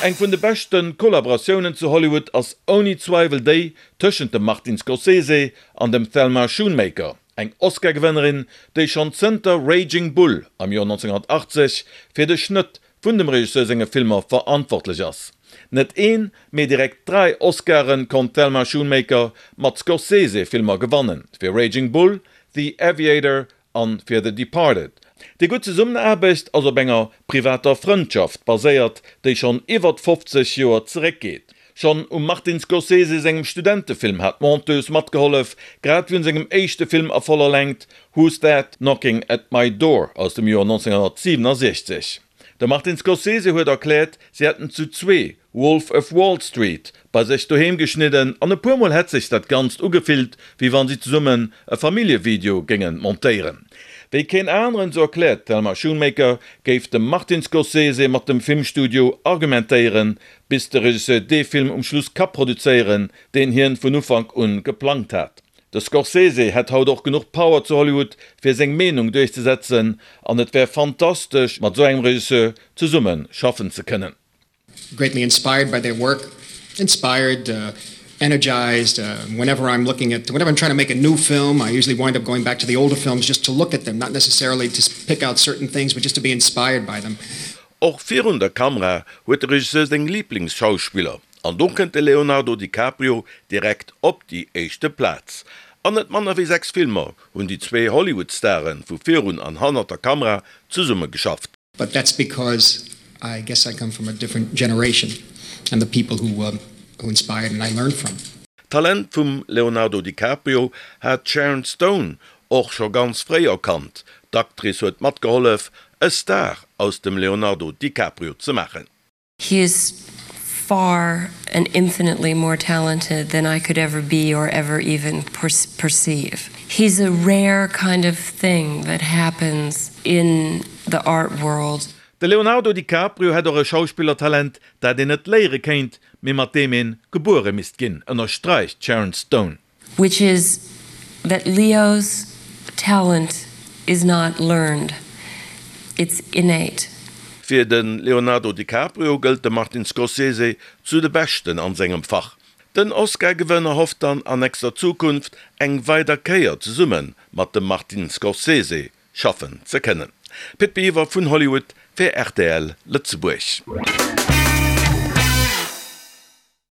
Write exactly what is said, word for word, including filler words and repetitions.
Eng vun de beschte Kollaboratiounen zu Hollywood ass ouni Zweiwel déi tëschent dem Martin Scorsese an dem Thelma Schoonmaker, eng Oscar-Gewënnerin, déi schonn zënter Raging Bull am Joer nonzénghunnertachtzeg fir de Schnëtt vun dem Regisseur senge Filmer verantwortlech ass. Net een, mee direkt dräi Oscare konnt d'Thelma Schoonmaker mat Scorsese-Filmer gewannen, fir Raging Bull, The Aviator an fir The Departed. Déi gutt Zesummenaarbecht ass op enger privater Frëndschaft baséiert, déi schonn iwwert fofzeg Joer zeréckgeet. Schonn um Martin Scorsese sengem Studentefilm hat d'Monteuse matgehollef, grad wéi un sengem éischte Film a voller Längt, Who's That Knocking at My Door aus dem Joer nonzénghunnertsiwenasechzeg. De Martin Scorsese huet erkläert, si hätten zu zwee Wolf of Wall Street bei sech doheem geschnidden an e puer Mol hätt sech dat Ganzt ugefillt, wéi wann si zesummen e Familljevideo géinge montéieren. Wéi keen aneren, sou erkläert d'Thelma Schoonmaker, géif de Martin Scorsese mat dem Filmstudio argumentéieren, bis de Regisseur dee Film um Schluss ka produzéieren, deen hien vun Ufank un geplangt hat. De Scorsese hätt haut och genuch Power zu Hollywood, fir seng Meenung duerchzesetzen, an et wär fantastesch, mat sou engem Regisseur zesumme schaffen ze kënnen. Greatly inspired by their work, inspired, energized, whenever I'm looking at, whenever I'm trying to make a new film, I usually wind up going back to the older films just to look at them, not necessarily to pick out certain things, but just to be inspired by them. Och virun der Kamera huet de Regisseur seng Liblingsschauspiller, an do kënnt de Leonardo DiCaprio direkt op déi éischte Plaz. An net manner wéi sechs Filmer hunn déi zwee Hollywood-Stare vu virun an hannert der Kamera zesumme geschafft. But that's because I guess I come from a different generation and the people who who inspired and I learned from. D'Talent vum Leonardo DiCaprio hat d'Sharon Stone och scho ganz fréi erkannt. D'Actrice huet matgehollef, e Star aus dem Leonardo DiCaprio ze maachen. He is far and infinitely more talented than I could ever be or ever even perceive. He's a rare kind of thing that happens in the art world. De Leonardo DiCaprio hätt och e Schauspillertalent, dat een net léiere kéint, mee mat deem ee gebuere misst ginn, ënnersträicht d'Sharon Stone. Which is that Leo's talent is not learned, it's innate. Fir de Leonardo DiCaprio gëllt de Martin Scorsese zu de Beschten an sengem Fach. Den Oscar-Gewënner hofft dann an nächster Zukunft eng weider Kéier zesumme mat dem Martin Scorsese schaffen ze kënnen. Pit Biwer vun Hollywood fir rtl Lëtzebuerg.